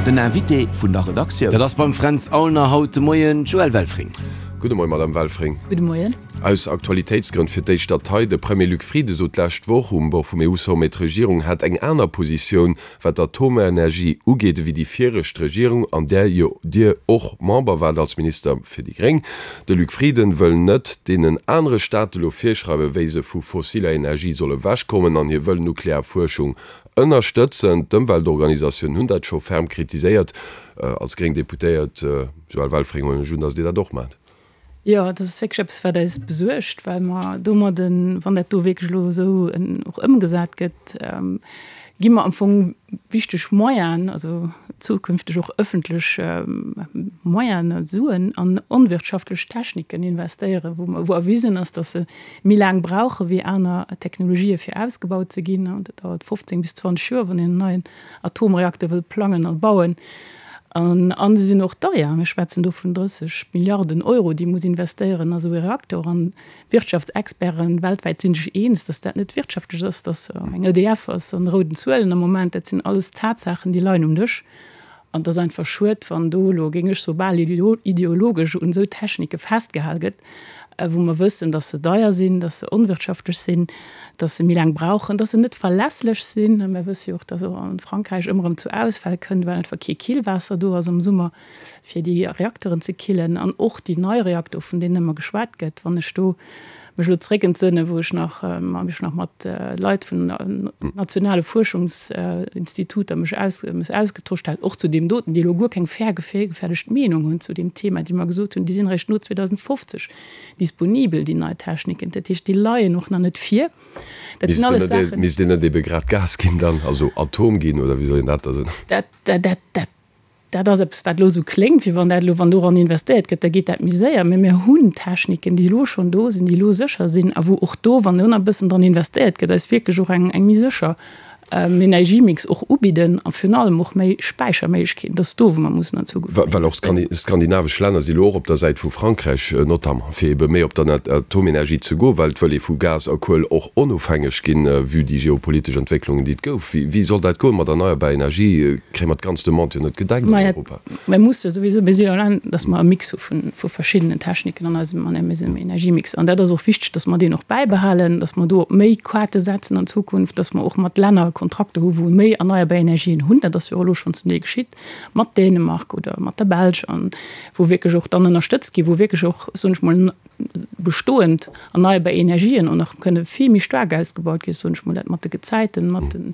Den Invité vun der Redaktioun. Dat ass beim Fränz Aulner haut de Moien d'Joëlle Welfring. Gudde Moien, Madame Welfring. Gudde Moien. Aus Aktualitéitsgrënn fir d'éischt dat hei, De Premier Luc Frieden sot d'lescht Woch um Bord vum EU-Sommet, d'Regierung hätt eng aner Positioun, wat d'Atomenergie ugeet, ewéi déi viregt Regierung, an där jo Dir och Member waart als Minister fir déi Gréng. De Luc Frieden wëll net deenen anere Staate lo virschreiwen, wéi se vu fossiller Energie solle wechkommen an hie wëll nuklear Fuerschung ënnerstëtzen. D'Ëmweltorganisatiounen hunn dat scho ferm kritiséiert. Als gréng Deputéiert Joëlle Welfring huelen ech un, datt Dir dat och maacht. Jo, dat ass wierklech eppes, wat eis besuergt, well mer domadden, wann dat do wierklech elo esou och ëmgesat gëtt, gi mer am Fong wichteg Moyenen, also zukünfteg och ëffentlech Moyenen, Suen an onwirtschaftlech Techniken investéieren, wou mer, wou erwisen ass, dass se méi laang brauche wéi aner Technologië fir ausgebaut ze ginn. Dat dauert 15 bis 20 Joer, wann een en neien Atomreakter wëll plangen a bauen. An se sinn och deier. Mir schwätzen do vun 30 Milliarden Euro, déi ee muss investéieren a sou ee Reaktor. An d'Wirtschaftsexperten weltwäit si sech eens, datt dat net wirtschaftlech ass, datt eng EDF ass an rouden Zuelen am Moment. Dat sinn alles Tatsaachen, déi leien um Dësch. An et ass einfach schued, wann do elo, géing ech soen, bal ideologesch un esou Technike festgehal gëtt, wou mer wëssen, dass se deier sinn, dass se onwirtschaftlech sinn, dass se méi laang brauchen, dass se net verlässlech sinn. Mir wësse jo och, dass och a Frankräich ëmmer erëm zu Ausfäll kënnt, well einfach kee Killwaasser do ass am Summer, fir déi Reakteren ze killen. An och déi nei Reaktor, vun deenen ëmmer geschwat gëtt, wann ech do mech elo zeréckentsënne wou ech nach mech nach mat Leit vun nationale Fuerschungsinstituter mech aus mech ausgetosch hat, och zu deem doten, déi elo guer keng virgefäerdegt Meenung hunn zu deem Thema, déi mer gesot hunn, déi sinn eréischt no 2050 disponibel, déi nei Techniken. Dat heescht, déi leien och nach net vir. Dat sinn alles Saachen. Misst een net ebe grad Gas ginn dann, also Atom ginn, oder wéi soll een dat da soen? Dat, dat, dat. Dat ass eppes, wat elo esou kléngt, wéi wann dat elo, wann doran investéiert gëtt, da geet dat méi séier. Mä mir hunn Techniken, déi elo schonn do sinn, déi elo sécher sinn a wou och do, wann do nach e bëssen dran investéiert gëtt, eis wierklech och eng méi sécher Energiemix och ubidden a virun allem och méi Späicherméiglechkeeten. Dat ass do, wou mer mussen an Zukunft méi Well och skandinavesch Länner si elo och op der Säit vu Frankräich notamment, fir ebe méi op der Atomenergie ze goen, well et wëll ee vu Gas a Kuel och onofhängeg ginn, vue déi geopolitesch Entwécklungen, déi et gouf. Wéi soll dat goen mat erneierbar Energie? Kréie mer d'ganz Demande jo net gedeckt an Europa. Mir musse souwisou, mir sinn allein, datt mer e Mix hu vu verschiddenen Techniken an eisem, an eisem Energiemix. An dat ass och wichteg, datt mer deen och bäibehalen, datt mer do op méi Quate setzen an Zukunft, datt mer och mat Länner Kontrakter hu wou méi erneierbar Energien hunn. Dat ass jo och elo schonn zum Deel geschitt mat Dänemark oder mat der Belsch an wou wierklech och dann ënnerstëtzt ginn, wou wierklech och, soen ech mol, bestoend erneierbar Energien och nach kënne vill méi staark ausgebaut ginn, soen ech mol, dat mat de Gezäiten, mat de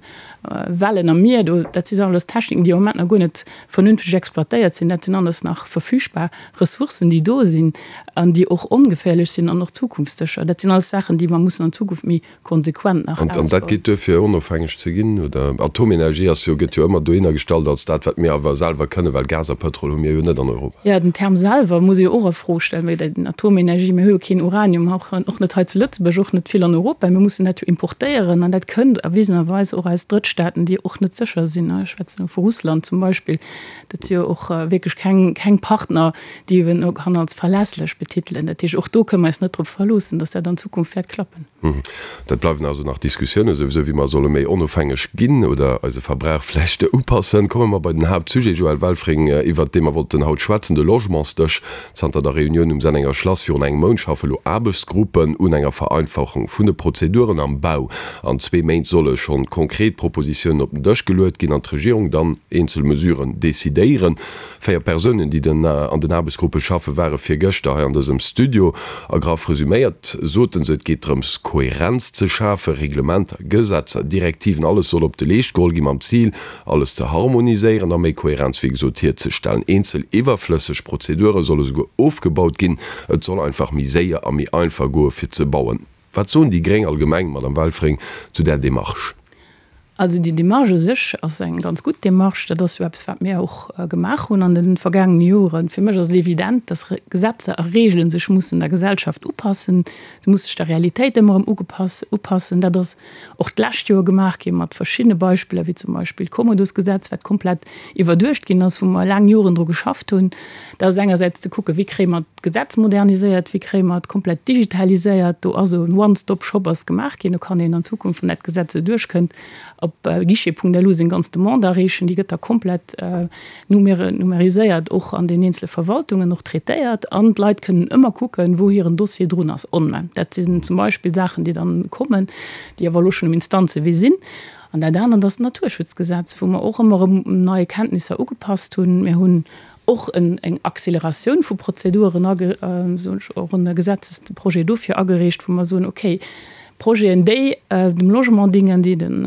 Wellen am Mier do, dat si alles Techniken, déi am Moment nach guer net vernünfteg exploitéiert sinn. Dat sinn alles nach verfügbar Ressourcen, déi do sinn an déi och ongeféierlech sinn an och zukunftssécher. Dat sinn alles Saachen, déi mer mussen an Zukunft méi konsequent nach An dat ausbauen. geet duer fir onofhängeg ze ginn? Oder Atomenergie ass jo, gëtt jo ëmmer dohinner gestallt als dat, wat mir awer selwer kënnen, well Gas a Pëtrol hu mir jo net an Europa. Jo, den Term selwer muss ee jo och a Fro stellen, well den Atomenergie, mir hu jo keen Uranium, och och net hei zu Lëtzebuerg, och net vill an Europa, mir mussen dat jo importéieren an dat kënnt erwisenerweis och aus Drëttstaaten, déi och net sécher sinn, ech schwätzen elo vu Russland zum Beispill, dat si jo och wierklech keng keng Partner, déi een och kann als verlässlech betitelen. Dat heescht, och do kënne mer eis net drop verloossen, datt dat an Zukunft wäert klappen. Dat bleiwen also nach Diskussiounen, souwisou wéi mer solle méi onofhängeg ginn oder eise Verbrauch vläicht upassen. Komme mer bei den Haaptsujet, Joël Welfring, iwwert dee mer wollten haut schwätzen, de Logementsdësch. Zanter der Reunioun um Sennenger Schlass virun engem Mount schaffe lo Aarbechtsgruppen un enger Vereinfachung vun de Prozeduren am Bau. An zwee Méint solle schonn konkret Propositiounen op den Dësch geluet ginn an d'Regierung dann eenzel Mesuren decidéieren. 4 Persounen, déi den an den Aarbechtsgruppe schaffen, ware virgëschter hei an dësem Studio. A graff resuméiert soten se, et geet drëms, Kohärenz ze schafen, Reglementer, Gesetzer, Direktiven, alles soll op de Leescht geholl gi mam Zil, alles ze harmoniséieren a méi Kohärenz, wéi gesot, hierzestellen. Eenzel iwwerflësseg Prozedure solle souguer ofgebaut ginn. Et soll einfach méi séier a méi einfach goe fir ze bauen. Wat soen déi gréng allgemeng, Madame Welfring, zu där Demarche? Also déi Démarche u sech ass eng ganz gutt Démarche. Dat ass jo eppes, wat mir och gemaach hunn an de vergaangene Joren. Fir mech ass et evident, dass Gesetzer a Regeln sech mussen der Gesellschaft upassen. Se musse sech der Realitéit ëmmer erëm upassen. Dat ass och d'lescht Joer gemaach gi mat verschiddene Beispiller, wéi zum Beispill d'Kommodosgesetz, wat komplett iwwerduecht ginn ass, wou mer laang Joren dru geschafft hunn. Dat ass engersäits ze kucken, wéi kréie mer d'Gesetz moderniséiert, wéi kréie mer et komplett digitaliséiert. Do ass esou en One-Stop-Shop ass gemaach ginn. Do kann een an Zukunft, wann dat Gesetz esou duerchkënnt, Op guichet.lu seng ganz Demande areechen, déi gëtt da komplett numeriséiert och an den eenzele Verwaltungen och traitéiert an d'Leit kënnen ëmmer kucken, wou hiren Dossier drun ass online. Dat sinn zum Beispill Saachen, déi dann kommen, déi awer elo schonn um Instanzewee sinn. An dat anert ass d'Naturschutzgesetz, wou mer och ëmmer erëm nei Kenntnisser ugepasst hunn. Mir hunn och eng Acceleratioun vu Prozeduren, och e Gesetzesprojet dofir agereecht, wou mer soen, okay, Projeten, déi dem Logement dingen, déi den,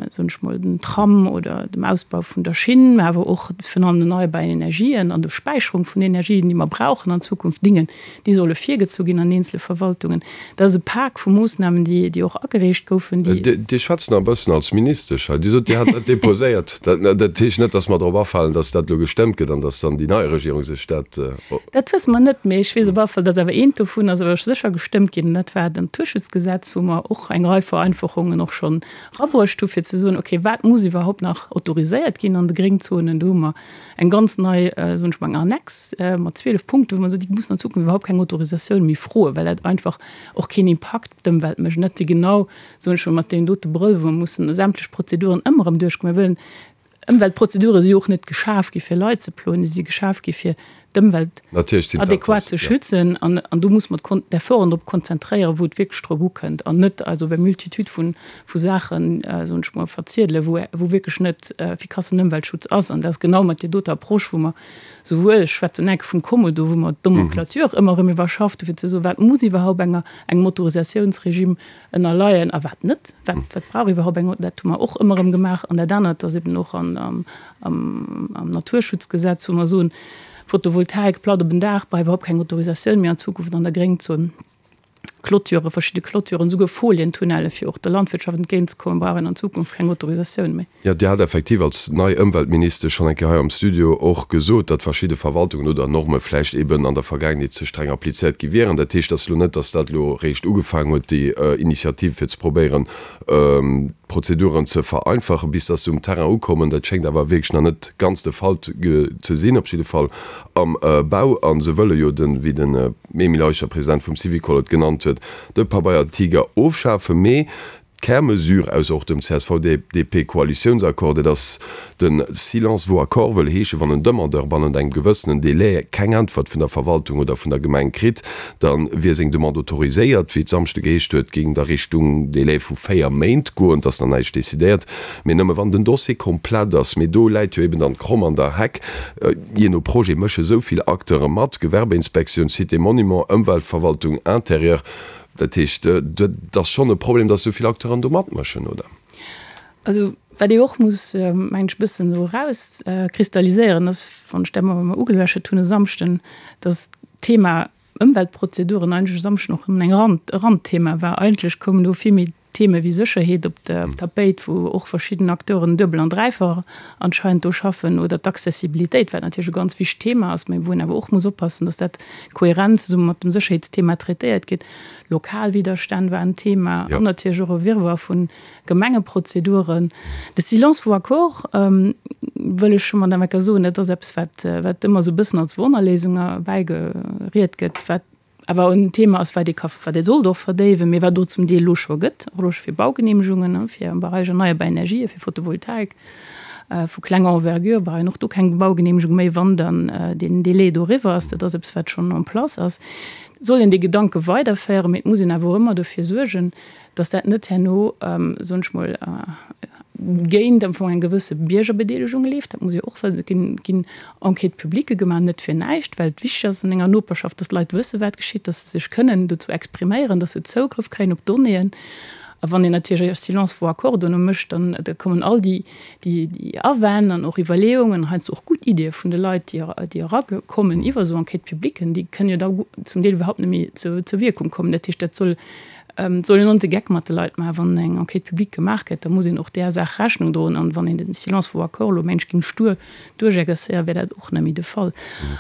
soen ech mol, dem Tram oder dem Ausbau vun der Schinn, mä awer och virun allem den erneierbaren Energien an der Späicherung vun Energien, déi mer brauchen an Zukunft, dingen, déi solle virgezu ginn an eenzele Verwaltungen. Dat ass e Pak vu Moossnamen, déi, déi och agereecht goufen, déi. Dir schwätzt nach e bëssen als Ministesch hei. Dir sot, Dir hat dat déposéiert. Dat heescht net, datt mer drop afalen, datt dat elo gestëmmt gëtt an datt dann déi nei Regierung sech dat. Dat wësse mer net, mee ech weess op alle Fall, datt awer eent dovun ass awer sécher gestëmmt ginn, an dat war d'Naturschutzgesetz, wou mer och eng Rei Vereinfachungen och schonn erabruecht hu fir ze soen, okay, wat muss iwwerhaupt nach autoriséiert ginn an de Gréngzonen. Do hu mer eng ganz nei, soen ech mol, eng Annex mat 12 Punkten, wou mer soen, déi mussen an Zukunft iwwerhaupt keng Autorisatioun méi froen, well dat einfach och keen Impakt op d'Ëmwelt mécht. An dat si genau, soen ech mol, mat deem dote Brëll, wou mer mussen sämtlech Prozeduren ëmmer erëm duerchgoen. Mir wëllen Ëmweltprozedure si jo och net geschaf gi fir Leit ze ploen, déi si geschaf gi fir d'Ëmwelt adequat ze schützen. An an do muss mer d'Efforten drop konzentréieren, wou et wierklech drop ukënnt an net eis op eng Multitude vu vu Saachen, soen ech mol, verziedelen, wou wou wierklech net effikassen Ëmweltschutz ass. An dat ass genau mat där doter Approche, wou mer souwuel, ech schwätzen enke vum Kommodo, wou mer d'Nomenclature ëmmer erëm iwwerschafft hu fir ze soen, wat muss iwwerhaupt enger engem Autorisatiounsregime ënnerleien a wat net, wat, wat brauch iwwerhaupt eng, dat hu mer och ëmmer erëm gemaach. An dat anert ass eben och an, am, am Naturschutzgesetz, wou mer soen, Photovoltaik platt op en Daach brauch iwwerhaupt keng Autorisatioun méi an Zukunft an der Gréngzon. Clôturen, verschidde Clôturen, souguer Folientunnelle fir och der Landwirtschaft entgéintzekommen, brauch een an Zukunft keng Autorisatioun méi. Jo, Dir hat effektiv als nei Ëmweltministesch schonn eng Kéier hei am Studio och gesot, datt verschidde Verwaltungen oder Norme vläicht eben an der Vergaangenheet ze streng applizéiert gi wieren. Dat heescht, et ass elo net, datt dat elo eréischt ugefaangen huet, déi Initiative fir ze probéieren, d'Prozeduren ze vereinfachen, bis datt se um Terrain ukommen. Dat schéngt awer wierklech nach net ganz de Fall ze sinn, op jidde Fall am Bau. A se wëlle jo den, wéi den Emile Eicher, President vum Syvicol, et genannt huet, de Pabeiertiger ofschafen. Mee D'Kärmesure aus och dem CSV-DP-Koalitiounsaccord, dat ass de Silence vaut accord, wëll heeschen, wann en Demandeur bannent engem gewëssenen Délai keng Äntwert vun der Verwaltung oder vun der Gemeng kritt, da wier seng Demande autoriséiert. Wéi et Samschde geheescht huet, géing et a Richtung Délai vu 4 Méint goen. Et ass nach näischt decidéiert, mee nëmme wann den Dossier komplett ass. Mee do läit jo eben dann d'Kromm an der Heck. Jee no Projet mësche sou vill Acteure mat, Gewerbeinspektioun, Sites et Monuments, Ëmweltverwaltung, Intérieur. Dat heescht, dat ass schonn e Problem, datt esou vill Acteuren do matmëschen, oder? Also wat ee och muss, mengen ech, e bëssen esou erauskristalliséieren, ass, wann ech dat mol ugeluecht hunn e Samschden, datt d'Thema Ëmweltprozeduren eigentlech e Samschden och nëmmen eng Rand, e Randthema war. Eigentlech koumen do vill méi Theme wéi Sécherheet op d'Tapéit, wou och verschidden Acteuren duebel an dräifach anscheinend do schaffen, oder d'Accessibilitéit, wat natierlech e ganz wichtegt Thema ass, mä wou een awer och muss oppassen, datt dat kohärent zesumme mat dem Sécherheetsthema traitéiert gétt. Lokal Widerstänn war en Thema an natierlech och e Wirrwarr vu Gemengeprozeduren. De Silence vaut accord, wëll ech scho mat enker soen, dat ass eppes, wat wat ëmmer esou e bëssen als Wonnerléisung erbäigeriet gëtt, wat awer en Thema ass, wat ee ka, wat ee sollt och verdéiwen, mee wat do zum Deel elo scho gëtt, och elo scho fir Baugenehmegungen, fir am Bereich erneierbar Energien, fir Photovoltaik vu klenger Envergure, brauch een och do keng Baugenehmegung méi, wann dann deen Délai do eriwwer ass. Dat ass eppes, wat schonn en place ass. Et soll een dee Gedanke weiderféieren, mee et muss een awer och ëmmer dofir suergen, dass dat net herno, soen ech mol, géint am Fong eng gewësse Biergerbedeelegung leeft. Dat muss ee och wëssen. Et ginn, ginn Enquêtes publiques gemaach, net fir näischt, well et wichteg ass an enger Noperschaft, dass d'Leit wëssen, wat geschitt, dass se sech kënnen dozou expriméieren, dass se Zougrëff kréien op d'Donnéeën. A wann een natierlech e Silence vaut accord dono mécht, dann da kommen all déi, déi, déi Awänn an och Iwwerleeungen, heiansdo och gutt Iddie vun de Leit, déi, déi erakommen iwwer esou Enquêtes publiquen, déi kënnen jo da zum Deel iwwerhaupt net méi zur, zur Wierkung kommen. Dat heescht, dat soll, Et soll een och net de Geck mat de Leit maachen. Wann eng Enquête publique gemaach gëtt, da muss een och där Saach Rechnung droen. An wann een den Silence vaut accord elo mengt, géing stur duerchexercéieren, wär dat och net méi de Fall.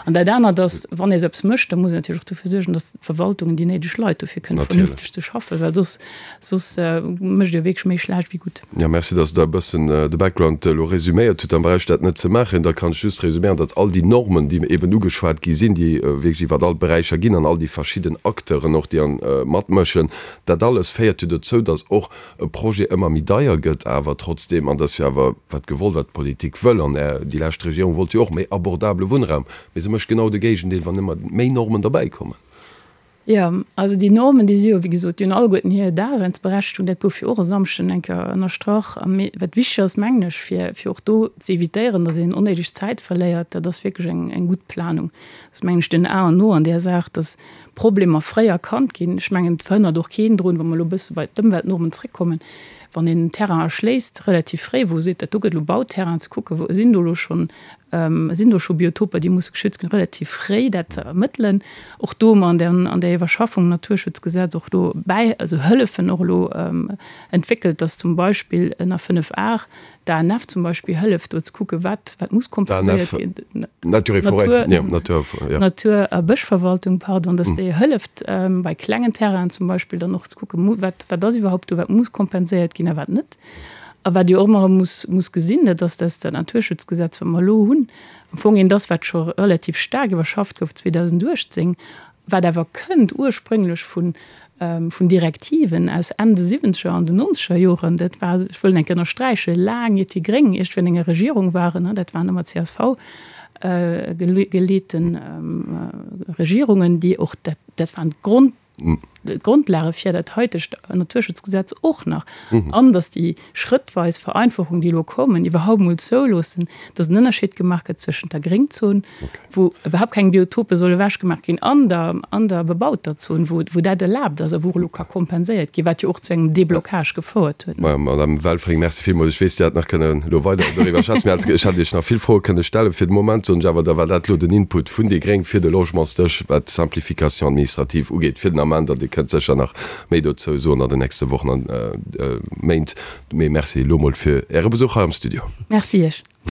An dat anert ass, wann ee sou eppes mécht, da muss een natierlech och dofir suergen, datt d'Verwaltungen déi néideg Leit dofir kënnen vernünfteg ze schaffen, well soss, soss. mécht jo wierklech méi schlecht wéi gutt. Jo, merci, dass Der e bëssen de Background elo resuméiert hutt. Dann brauch ech dat net ze maachen. Da kann ech just resuméieren, datt all déi Normen, déi eben ugeschwat gi sinn, déi wierklech iwwer all d'Beräicher ginn an all déi verschidden Acteuren och, déi matmëschen, dat alles féiert jo dozou, datt och e Projet ëmmer méi deier gëtt awer trotzdeem, an dat ass jo awer wat gewollt, wat d'Politik wëll, an déi lescht Regierung wollt jo och méi abordabele Wunnraum, mee se mécht genau de Géigendeel, wann ëmmer méi Normen derbäikommen. Jo, also déi Normen, déi si jo, wéi gesot, déi hunn alleguerten hir Daseinsberechtigung, dat gouf jo och e Samschden eng Kéier ënnerstrach. A mee wat wichteg ass, mengen ech, fir, fir och do ze évitéieren, datt een onnéideg Zäit verléiert, dat ass wierklech eng, eng gutt Planung. Dat ass, mengen ech, den A an O an där Saach, datt Problemer fréi erkannt ginn. Ech mengen, et verhënnert och keen drun, wa mer elo e bësse bei d'Ëmweltnormen zréckkommen, wann een en Terrain erschléisst, relativ fréi, wou e seet, dat do gëtt elo Bauterrain, ze kucken, wou sinn do elo schonn, sinn do scho Biotoper, déi musse geschützt ginn, relativ fréi dat ze ermëttelen. Och do hu mer an der, an der Iwwerschaffung Naturschutzgesetz och do bäi, also Hëllefen och elo entwéckelt, dass zum Beispill ënner 5 Ar D'ANF zum Beispill hëlleft do ze kucken, wat, wat muss kompenséiert ginn. Natur et Forêt, jo, Natur, jo. Natur a Bëschverwaltung, pardon, dass déi hëlleft bei klengen Terrainen zum Beispill dann och ze kucken, wat, wat ass iwwerhaupt do, wat muss kompenséiert ginn a wat net. A wat Dir och ëmmer erëm muss, muss gesinn, dat ass, dass dat Naturschutzgesetz, wat mer elo hunn, am Fong eent ass, wat scho relativ staark iwwerschafft gouf 2018, wat awer kënnt ursprénglech vun vun Direktiven aus Enn de siwwenzeger an den nonzeger Joren, dat war, ech wëll eng Kéier ënnersträichen, laang iert déi Gréng iergendwéi an enger Regierung waren, dat waren ëmmer csv geleete Regierungen, déi och dat, dat waren d'Grond, d'Grondlage fir dat haitegt Naturschutzgesetz och nach, an datt déi schrëttweis Vereinfachung, déi elo kommen, iwwerhaupt mol zouloossen, datt en Ënnerscheed gemaach gëtt zwëschent der Gréngzon, wou iwwerhaupt keng Biotope solle ewechgemaach ginn, an der, an der bebauter Zon, wou, wou dat erlaabt ass a wou och elo ka kompenséiert ginn, wat jo och zu engem Deblocage gefouert huet. Majo, Madame Welfring, merci villmools. Ech weess, Dir hätt nach kënnen elo weider doriwwer schwätzen. Mir hätt, ech hätt Iech nach vill Froe kënne stellen. Fir de Moment soen ech awer, da war dat elo den Input vun déi gréng fir de Logementsdësch, wat d'Simplification administrative ugeet, fir den Ament. An Dir kënnt sécher nach méi dozou soen an den nächste Wochen an Méint. Mee merci elo mol fir Äre Besuch hei am Studio. Merci Iech.